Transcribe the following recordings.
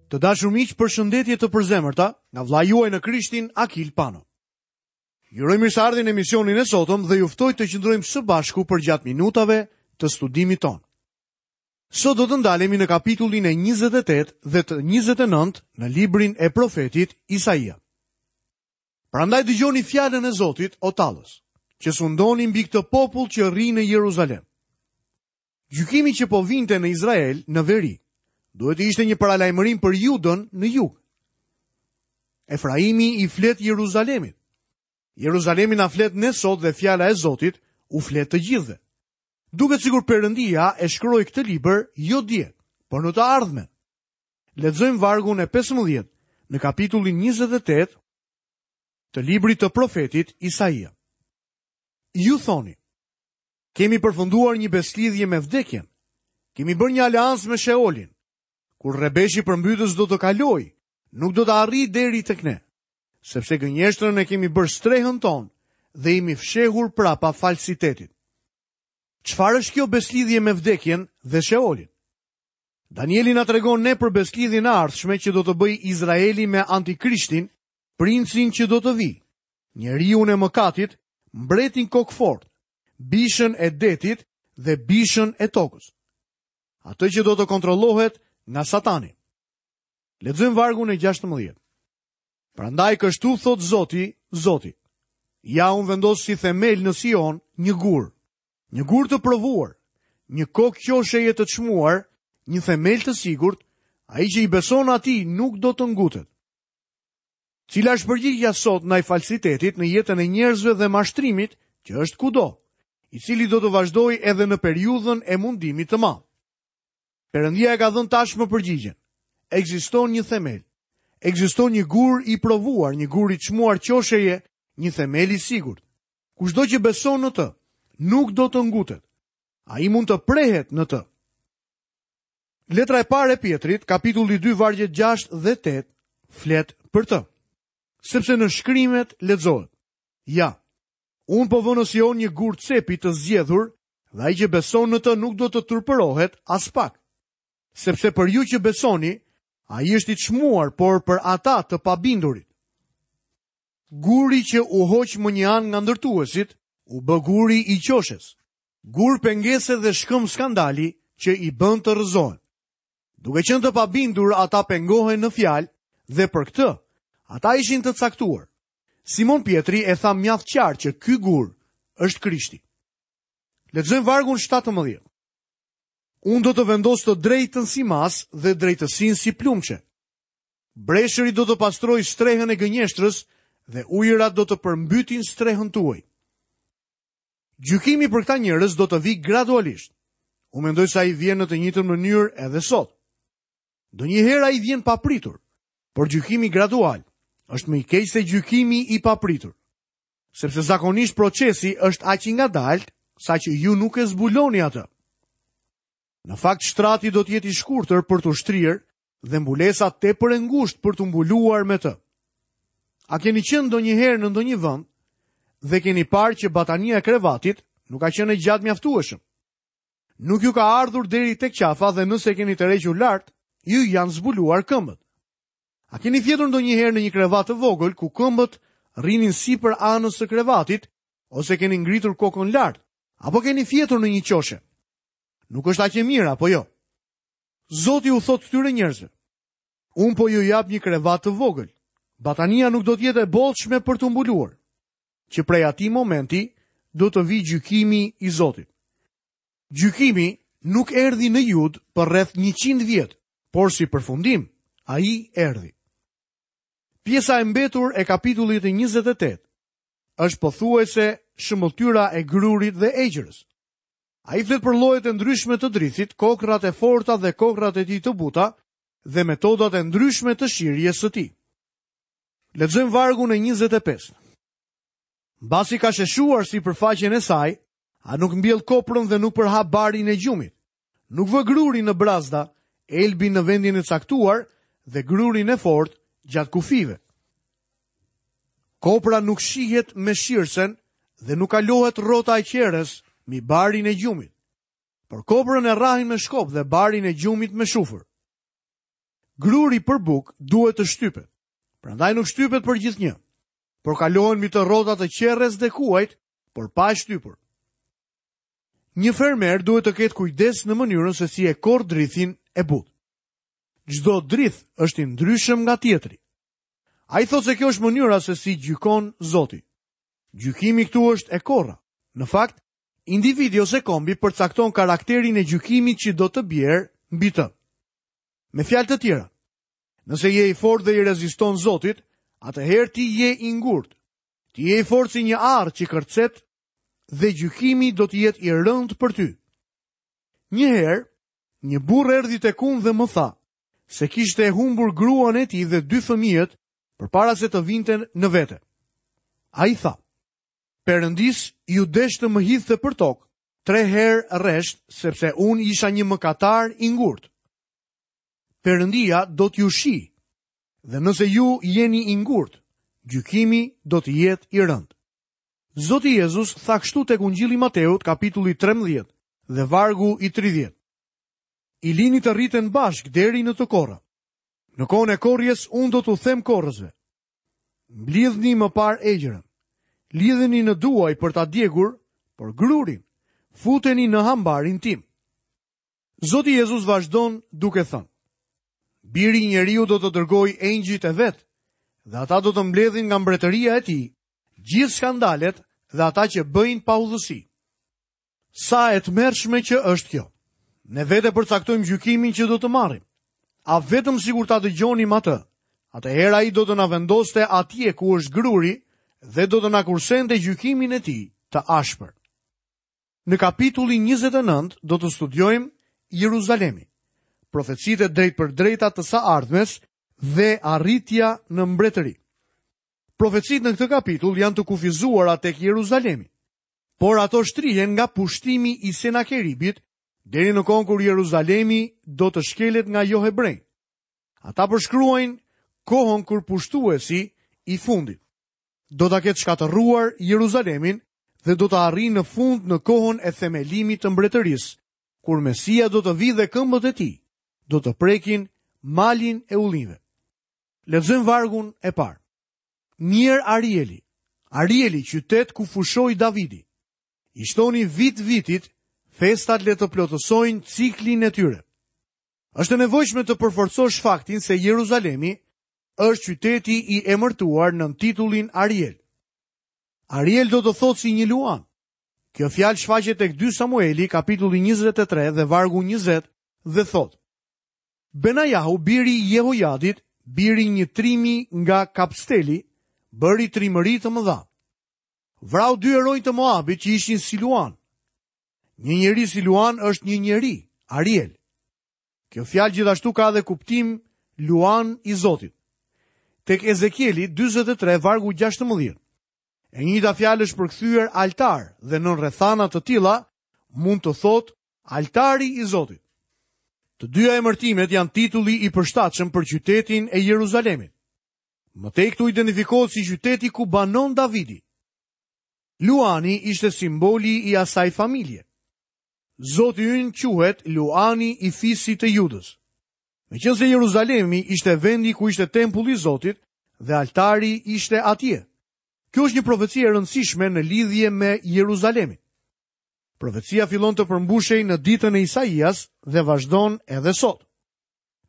Të dashur miq, përshëndetje të përzemërta nga vëllai juaj në Krishtin Akil Pano. Ju uroj mirëseardhjen në emisionin e sotëm dhe ju ftoj të qëndrojmë së bashku përgjatë minutave të studimit tonë. Sot do të ndalemi në kapitullin e 28 dhe të 29 në librin e profetit Isaia. Prandaj dëgjoni fjalën e Zotit, o tallës, që sundoni mbi këtë popull që rri në Jeruzalem. Gjykimi që po vinte në Izrael në veri, duhet të ishte një paralajmërim për Judën në jug. Efraimi i flet Jeruzalemit. Jeruzalemi na flet ne sot dhe fjala e Zotit u flet të gjithëve. Duket sikur Perëndia e shkroi këtë libër jo dje, por në të ardhmen. Lexojmë vargun e 15 në kapitullin 28 të librit të profetit Isaia. Ju thoni, Kemi përfunduar një besëlidhje me vdekjen. Kemi bërë një aleancë me Sheolin. Kur rrebeshi përmbytës do të kalojë, nuk do të arrijë deri tek ne, sepse gënjeshtrën e kemi bërë strehën tonë dhe jemi fshehur prapa falsitetit. Çfarë është kjo besëlidhje me vdekjen dhe Sheolin? Danieli na tregon ne për besëlidhjen e ardhshme që do të bëjë Izraeli me Antikrishtin, princin që do të vijë, njeriun e mëkatit, mbretin kokëfortë, bishën e detit dhe bishën e tokës. Atë që do të kontrollohet nga Satani. Lexojmë vargun e 16. Prandaj kështu thotë Zoti, Zoti. Ja unë vendos si themel në Sion një gur, një gur të provuar, një kokë qosheje të çmuar, një themel të sigurt, ai që i beson atij nuk do të ngutet. Cila është përgjigja sot ndaj falsitetit në jetën e njerëzve dhe mashtrimit që është kudo, i cili do të vazhdojë edhe në periudhën e mundimit të madh? Perëndia e ka dhënë tashmë përgjigjen. Ekziston një themel. Ekziston një gur i provuar, një gur i çmuar qosheje, një themel i sigurt. Kushdo që beson në të, nuk do të ngutet. Ai mund të prehet në të. Letra e parë e Pjetrit, kapitulli 2, vargjet 6 dhe 8, flet për të. Sepse në shkrimet lexohet. Ja, unë po vë në Sion një gur cepi të zgjedhur dhe ai që beson në të nuk do të turpërohet aspak. Sepse për ju që besoni, ai është i çmuar, por për ata të pabindurit. Guri që u hoq mënjanë nga ndërtuesit, u bë guri i qoshes. Gur pengese dhe shkëmb skandali që i bën të rrëzohen. Duke qenë të pabindur, ata pengohen në fjalë dhe për këtë, ata ishin të caktuar. Simon Pjetri e tha mjaft qartë që ky gur është Krishti. Lexojmë vargun 17. Unë do të vendos të drejtën si masë dhe drejtësinë si plumçe. Breshëri do të pastrojë strehën e gënjeshtrës dhe ujërat do të përmbytin strehën tuaj. Gjykimi për këta njerëz do të vijë gradualisht. Unë mendoj se ai vjen në të njëjtën mënyrë edhe sot. Ndonjëherë ai vjen papritur, por gjykimi gradual është më i keq se gjykimi i papritur. Sepse zakonisht procesi është aq i ngadaltë saqë ju nuk e zbuloni atë. Në fakt shtrati do të jetë i shkurtër për t'u shtrirë dhe mbulesa tepër e ngushtë për t'u mbuluar me të. A keni qenë ndonjëherë në ndonjë vend dhe keni parë që batania e krevatit nuk ka qenë e gjatë mjaftueshëm? Nuk ju ka ardhur deri tek qafa dhe nëse e keni tërhequr lart, ju janë zbuluar këmbët. A keni fjetur ndonjëherë në një krevat të vogël ku këmbët rrinin sipër anës së krevatit ose keni ngritur kokën lart apo keni fjetur në një qoshe? Nuk është aq e mirë apo jo? Zoti u thotë këtyre njerëzve, unë po ju jap një krevat të vogël. Batania nuk do të jetë e bollshme për t'u mbuluar. Që prej atij momenti do të vijë gjykimi i Zotit. Gjykimi nuk erdhi në Judë për rreth 100 vjet, por si përfundim, ai erdhi. Pjesa e mbetur e kapitullit të 28 është pothuajse shëmbëlltyra e grurit dhe egjrës. Ai flet për llojet e ndryshme të drithit, kokrrat e forta dhe kokrrat e tij të buta dhe metodat e ndryshme të shirjes së tij. Lexojmë vargun e 25. Mbasi ka sheshuar sipërfaqen e saj, a nuk mbjell koprën dhe nuk përhap barin e gjumit. Nuk vë grurin në brazda, elbin në vendin e caktuar dhe grurin e fortë gjatë kufijve. Kopra nuk shihet me shirsen dhe nuk kalohet rrota e qeres mbi barin e gjumit. Por koprën e rrahin me shkop dhe barin e gjumit me shufër. Gruri për bukë duhet të shtypet. Prandaj nuk shtypet për gjithnjë, por kalohen mbi të rrota të qerres dhe kuajt, por pa e shtypur. Një fermer duhet të ketë kujdes në mënyrën se si e korr drithin e butë. Çdo drith është i ndryshëm nga tjetri. Ai thotë se kjo është mënyra se si gjykon Zoti. Gjykimi këtu është e korra. Në fakt, individi ose kombi përcakton karakterin e gjykimit që do të bjerë mbi të. Me fjalë të tjera, nëse je i fortë dhe i reziston Zotit, atëherë ti je i ngurtë. Ti je i fortë si një arrë që kërcet dhe gjykimi do të jetë i rëndë për ty. Një herë, një burrë erdhi tek unë dhe më tha se kishte humbur gruan e tij dhe dy fëmijët përpara se të vinte në vete. Ai tha, Perëndisë iu desh të më hidhte për tokë, tre herë rresht, sepse unë isha një mëkatar i ngurtë. Perëndia do t'ju shijë, dhe nëse ju jeni i ngurtë, gjykimi do të jetë i rëndë. Zoti Jezus tha kështu tek Ungjilli i Mateut, kapitulli 13 dhe vargu i 30. I lini të rriten bashkë deri në të korra. Në kohën e korrjes unë do t'u them korrësve. Mblidhni më parë egjrën. Lidheni në duaj për ta djegur, por grurin futeni në hambarin tim. Zoti Jezus vazhdon duke thënë: Biri i njeriut do të dërgojë engjëjt e vet dhe ata do të mbledhin nga mbretëria e tij gjithë skandalet dhe ata që bëjnë paudhësi. Sa e tmerrshme që është kjo. Ne vetë e përcaktojmë gjykimin që do të marrim. A vetëm sikur ta dëgjonim atë, atëherë ai do të na vendoste atje ku është gruri dhe do të na kursente gjykimin e tij të ashpër. Në kapitullin 29 do të studiojmë Jeruzalemin, profecitë e drejtpërdrejta të së ardhmes dhe arritja në mbretëri. Profecitë në këtë kapitull janë të kufizuara tek Jeruzalemi. Por ato shtrihen nga pushtimi i Senakeribit deri në kohën kur Jeruzalemi do të shkelet nga johebrenjtë. Ata përshkruajnë kohën kur pushtuesi i fundit do ta ketë shkatërruar Jeruzalemin dhe do të arrijë në fund në kohën e themelimit të mbretërisë, kur Mesia do të vijë dhe këmbët e tij do të prekin malin e ullinjve. Lexojmë vargun e parë. Mjerë Arieli, Arieli, qytet ku fushoi Davidi. I shtoni vit vitit, festat le të plotësojnë ciklin e tyre. Është e nevojshme të përforcosh faktin se Jeruzalemi është qyteti i emërtuar nën titullin Ariel. Ariel do të thotë si një luan. Kjo fjalë shfaqet tek 2 Samueli, kapitulli 23 dhe vargu 20 dhe thotë: Benajahu, biri i Jehojadit, biri i një trimi nga Kabsteli, bëri trimëri të mëdha. Vrau dy heronj të Moabit që ishin si luanë. Një njeri si luan është një njeri, Ariel. Kjo fjalë gjithashtu ka edhe kuptim luan i Zotit. Tek Ezekieli 43 vargu 16. E njëjta fjalë është përkthyer altar dhe nën rrethana të tilla mund të thotë Altari i Zotit. Të dyja emërtimet janë titulli i përshtatshëm për qytetin e Jeruzalemit. Më tej këtu identifikohet si qyteti ku banon Davidi. Luani ishte simboli i asaj familje. Zoti ynë quhet Luani i fisit të Judës. Meqenëse Jeruzalemi ishte vendi ku ishte tempulli i Zotit dhe altari ishte atje. Kjo është një profeci e rëndësishme në lidhje me Jeruzalemin. Profecia fillon të përmbushej në ditën e Isaias dhe vazhdon edhe sot.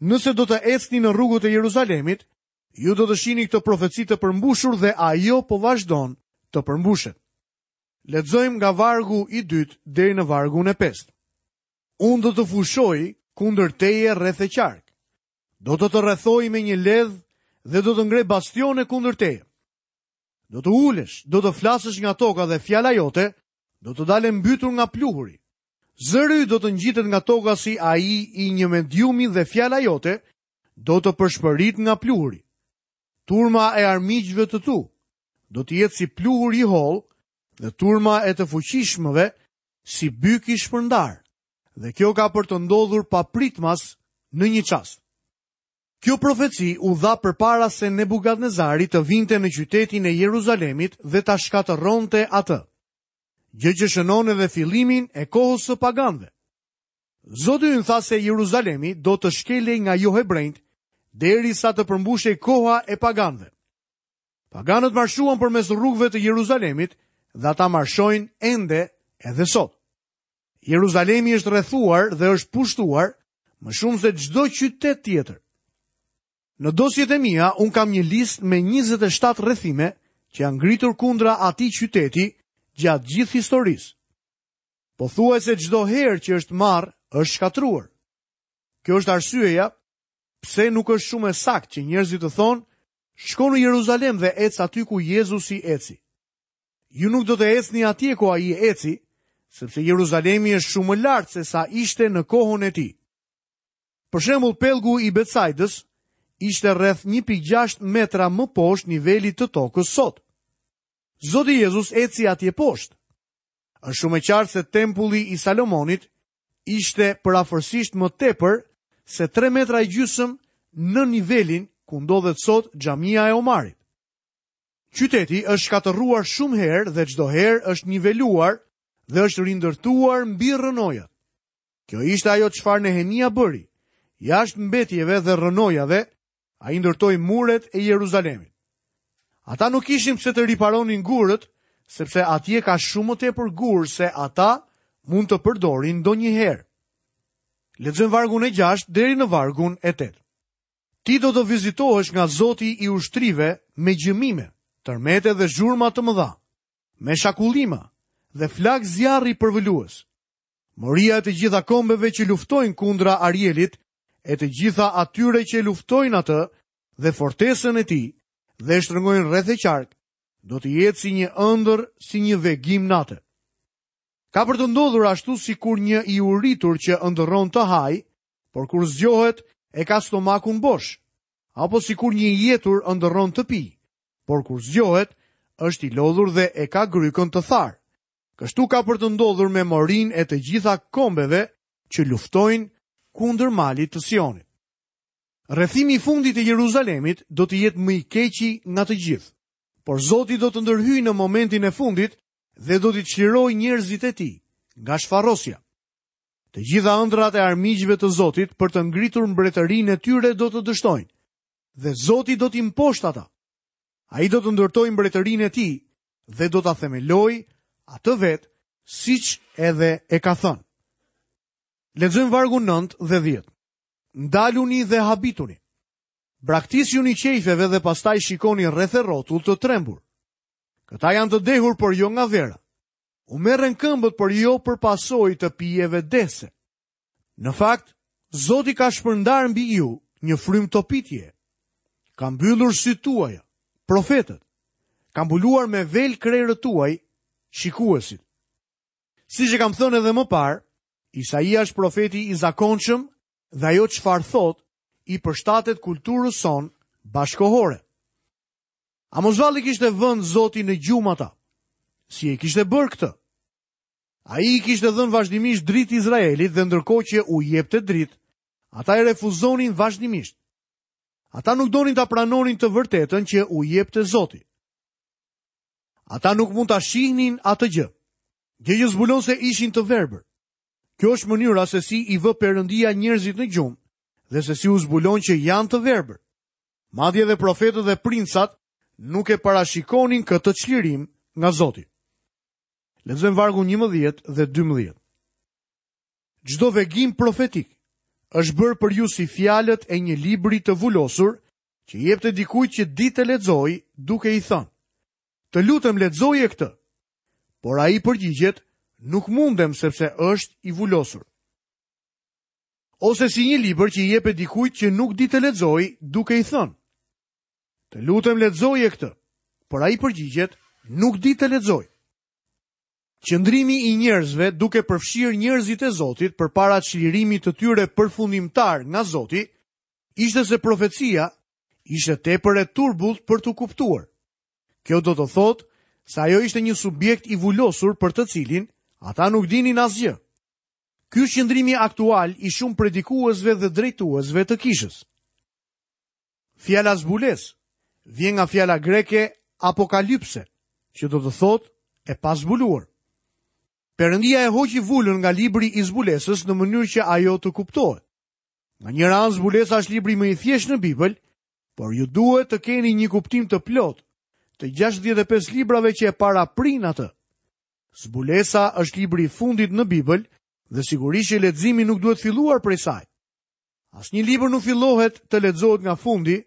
Nëse do të ecni në rrugët e Jeruzalemit, ju do të shihni këtë profeci të përmbushur dhe ajo po vazhdon të përmbushet. Lexojmë nga vargu i dytë deri në vargun e pestë. Unë do të fushoj kundër teje rreth e qark. Do të të rrethoj me një ledh dhe do të ngre bastione kundër teje. Do të ulesh, do të flasësh nga toka dhe fjala jote do të dalë e mbytur nga pluhuri. Zëri yt do të ngjitet nga toka si ai i një mediumi dhe fjala jote do të pëshpëritë nga pluhuri. Turma e armiqve të tu do të jetë si pluhur i hollë dhe turma e të fuqishmëve si byk i shpërndarë. Dhe kjo ka për të ndodhur papritmas në një çast. Kjo profeci u dha përpara se Nebukadnezari të vinte në qytetin e Jeruzalemit dhe ta shkatërronte atë, gjë që shënon edhe fillimin e kohës së paganëve. Zoti ynë tha se Jeruzalemi do të shkelej nga johebrenjtë. derisa të përmbushej koha e paganëve. Paganët marshuan përmes rrugëve të Jeruzalemit dhe ata marshojnë ende edhe sot. Jeruzalemi është rrethuar dhe është pushtuar më shumë se çdo qytet tjetër. Në dosjet e mia unë kam një listë me 27 rrethime që janë ngritur kundra atij qyteti gjatë gjithë historisë. Pothuajse çdo herë që është marrë, është shkatërruar. Kjo është arsyeja pse nuk është shumë e saktë që njerëzit të thonë, shko në Jeruzalem dhe ec aty ku Jezusi eci. Ju nuk do të ecni atje ku ai eci, sepse Jeruzalemi është shumë më lart se sa ishte në kohën e tij. Për shembull, pellgu i Betsaidës ishte rreth 1.6 metra më poshtë nivelit të tokës sot. Zoti Jezus eci atje poshtë. Është shumë e qartë se tempulli i Salomonit ishte përafërsisht më tepër se 3 metra e gjysëm nën nivelin ku ndodhet sot xhamia e Omarit. Qyteti është shkatërruar shumë herë dhe çdo herë është niveluar dhe është rindërtuar mbi rrënojat. Kjo ishte ajo çfarë Nehemia bëri. Jashtë mbetjeve dhe rrënojave, ai ndërtoi muret e Jeruzalemit. Ata nuk kishin pse të riparonin gurët, sepse atje ka shumë më tepër gurë se ata mund të përdorin ndonjëherë. Lexojmë vargun e 6 deri në vargun e 8. Ti do të vizitohesh nga Zoti i ushtrive me gjëmime, tërmete dhe zhurma të mëdha, me shakullima dhe flakë zjarri përvëlues. Moria e të gjitha kombeve që luftojnë kundra Arielit, e të gjitha atyre që e luftojnë atë dhe fortesën e tij dhe e shtrëngojnë rreth e qark, do të jetë si një ëndërr, si një vegim nate. Ka për të ndodhur ashtu sikur një i uritur që ëndërron të hajë, por kur zgjohet e ka stomakun bosh, apo sikur një i etur ëndërron të pijë, por kur zgjohet është i lodhur dhe e ka grykën të tharë. Kështu ka për të ndodhur me morinë e të gjitha kombeve që luftojnë kundër malit të Sionit. Rrethimi i fundit i Jeruzalemit do të jetë më i keqi nga të gjithë. Por Zoti do të ndërhyjë në momentin e fundit dhe do t'i çlirojë njerëzit e tij nga shfarosja. Të gjitha ëndrrat e armiqve të Zotit për të ngritur mbretërinë e tyre do të dështojnë dhe Zoti do t'i mposhtë ata. Ai do të ndërtojë mbretërinë e tij dhe do ta themelojë atë vetë siç edhe e ka thënë. Lexojmë vargun 9 dhe 10. Ndaluni dhe habituni. Braktisjuni qejfeve dhe pastaj shikoni rreth e rrotull të trembur. Këta janë të dehur, por jo nga vera. U merren këmbët, por jo për pasojë të pijeve dehëse. Në fakt, Zoti ka shpërndarë mbi ju një frymë topitje. Ka mbyllur sytë tuaja, profetët. Ka mbuluar me vel krerët tuaj, shikuesit. Siç e kam thënë edhe më parë, Isaia është profeti i zakonshëm dhe ajo çfarë thotë i përshtatet kulturës sonë bashkëkohore. A mos vallë i kishte vënë Zoti në gjumë ata? Si e kishte bërë këtë? Ai i kishte dhënë vazhdimisht dritë Izraelit dhe ndërkohë që u jepte dritë, ata e refuzonin vazhdimisht. Ata nuk donin ta pranonin të vërtetën që u jepte Zoti. Ata nuk mund ta shihnin atë gjë. Gjë që zbulon se ishin të verbër. Kjo është mënyra se si i vë Perëndia njerëzit në gjumë dhe se si u zbulon që janë të verbër. Madje edhe profetët dhe princat nuk e parashikonin këtë çlirim nga Zoti. Lexojmë vargun 11 dhe 12. Çdo vegim profetik është bërë për ju si fjalët e një libri të vulosur që i jepte dikujt që di të lexojë duke i thënë: Të lutem lexoje këtë. Por ai përgjigjet, nuk mundem sepse është i vulosur. Ose si një libër që i jepet dikujt që nuk di të lexojë duke i thënë: Të lutem lexoje këtë. Por ai përgjigjet, nuk di të lexoj. Qëndrimi i njerëzve duke përfshirë njerëzit e Zotit përpara çlirimit të tyre përfundimtar nga Zoti, ishte se profecia ishte tepër e turbullt për t'u kuptuar. Kjo do të thotë se ajo ishte një subjekt i vulosur për të cilin ata nuk dinin asgjë. Ky është qëndrimi aktual i shumë predikuesve dhe drejtuesve të kishës. Fjala zbulesë vjen nga fjala greke apokalypse, që do të thotë e pazbuluar. Perëndia e hoqi vulën nga libri i zbulesës në mënyrë që ajo të kuptohet. Nga njëra anë zbulesa është libri më i thjeshtë në Bibël, por ju duhet të keni një kuptim të plotë të 65 librave që e paraprijnë atë. Zbulesa është libri i fundit në Bibël dhe sigurisht që leximi nuk duhet filluar prej saj. Asnjë libër nuk fillohet të lexohet nga fundi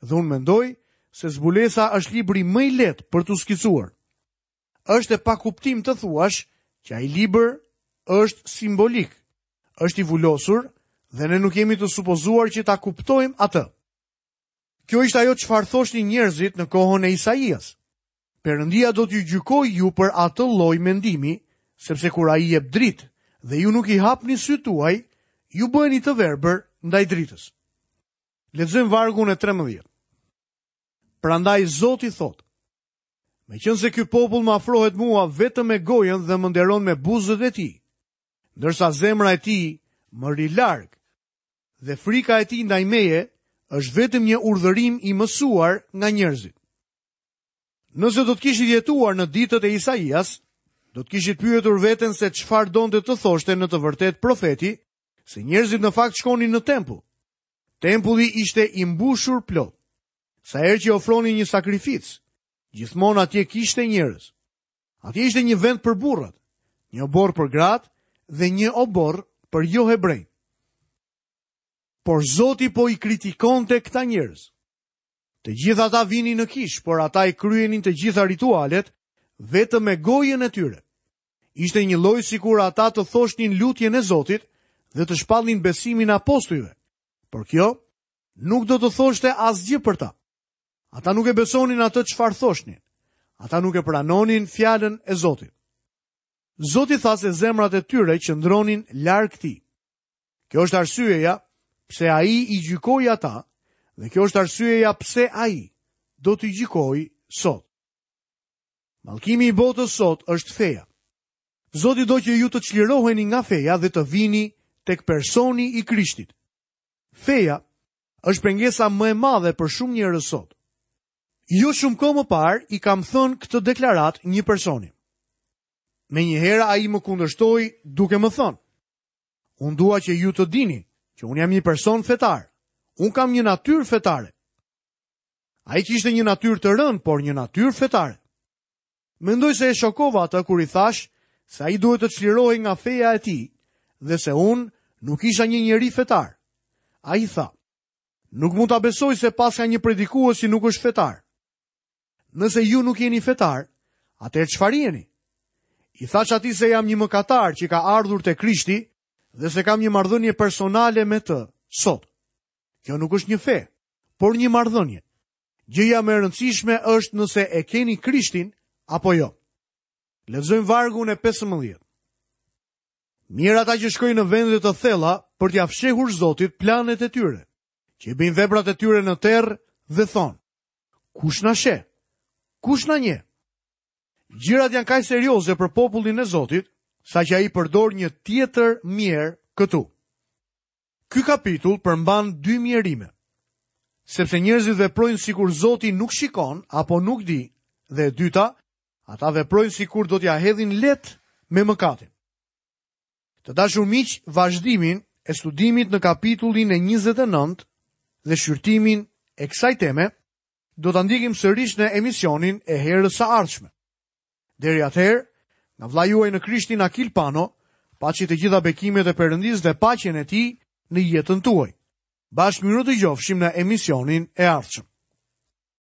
dhe unë mendoj se zbulesa është libri më i lehtë për t'u skicuar. Është e pakuptimtë të thuash që ai libër është simbolik, është i vulosur dhe ne nuk jemi të supozuar që ta kuptojmë atë. Kjo ishte ajo çfarë thoshnin njerëzit në kohën e Isaias. Perëndia do t'ju gjykojë ju për atë lloj mendimi, sepse kur ai jep dritë dhe ju nuk i hapni sytë tuaj, ju bëheni të verbër ndaj dritës. Lexojmë vargun e 13. Prandaj Zoti thotë: Meqenëse ky popull më afrohet mua vetëm me gojën dhe më nderon me buzët e tij, ndërsa zemra e tij më rri larg, dhe frika e tij ndaj meje është vetëm një urdhërim i mësuar nga njerëzit. Nëse do të kishit jetuar në ditët e Isaias, do të kishit pyetur veten se çfarë donte të thoshte në të vërtetë profeti, se njerëzit në fakt shkonin në tempull. Tempulli ishte i mbushur plot. Sa herë që ofronin një sakrificë, gjithmonë atje kishte njerëz. Atje ishte një vend për burrat, një oborr për gratë dhe një oborr për johebrenjtë. Por Zoti po i kritikonte këta njerëz. Të gjithë ata vinin në kishë, por ata i kryenin të gjitha ritualet vetëm me gojën e tyre. Ishte njëlloj sikur ata të thoshnin lutjen e Zotit dhe të shpallnin besimin e apostujve. Por kjo nuk do të thoshte asgjë për ta. Ata nuk e besonin atë çfarë thoshnin. Ata nuk e pranonin fjalën e Zotit. Zoti tha se zemrat e tyre qëndronin larg tij. Kjo është arsyeja pse ai i gjykoi ata dhe kjo është arsyeja pse ai do t'i gjykojë sot. Mallkimi i botës sot është feja. Zoti do që ju të çliroheni nga feja dhe të vini tek personi i Krishtit. Feja është pengesa më e madhe për shumë njerëz sot. Jo shumë kohë më parë i kam thënë këtë deklaratë një personi. Menjëherë ai më kundërshtoi duke më thënë: Unë dua që ju të dini që unë jam një person fetar. Unë kam një natyrë fetare. Ai kishte një natyrë të rëndë, por një natyrë fetare. Mendoj se e shokova atë kur i thashë se ai duhet të çlirohej nga feja e tij dhe se unë nuk isha një njeri fetar. Ai tha, nuk mund ta besoj se paska një predikues që nuk është fetar. Nëse ju nuk jeni fetar, atëherë çfarë jeni? I thashë atij se jam një mëkatar që ka ardhur te Krishti dhe se kam një marrëdhënie personale me të sot. Kjo nuk është një fe, por një marrëdhënie. Gjëja më e rëndësishme është nëse e keni Krishtin apo jo. Lexojmë vargun e 15. Mjerë ata që shkojnë në vende të thella për t'ia fshehur Zotit planet e tyre, që i bëjnë veprat e tyre në terr dhe thonë: Kush na sheh? Kush na njeh? Gjërat janë kaq serioze për popullin e Zotit, saqë ai përdor një tjetër mjerë këtu. Ky kapitull përmban dy mjerime. Sepse njerëzit veprojnë sikur Zoti nuk shikon apo nuk di, dhe e dyta, ata veprojnë sikur do t'ia hedhin lehtë me mëkatin. Të dashur miq, vazhdimin e studimit në kapitullin e 29 dhe shqyrtimin e kësaj teme do ta ndjekim sërish në emisionin e herës së ardhshme. Deri atëherë, nga vëllai juaj në Krishtin Akil Pano, paçi të gjitha bekimet e Perëndisë dhe paqen e tij në jetën tuaj. Bashkë mirudëgjofshim në emisionin e ardhshëm.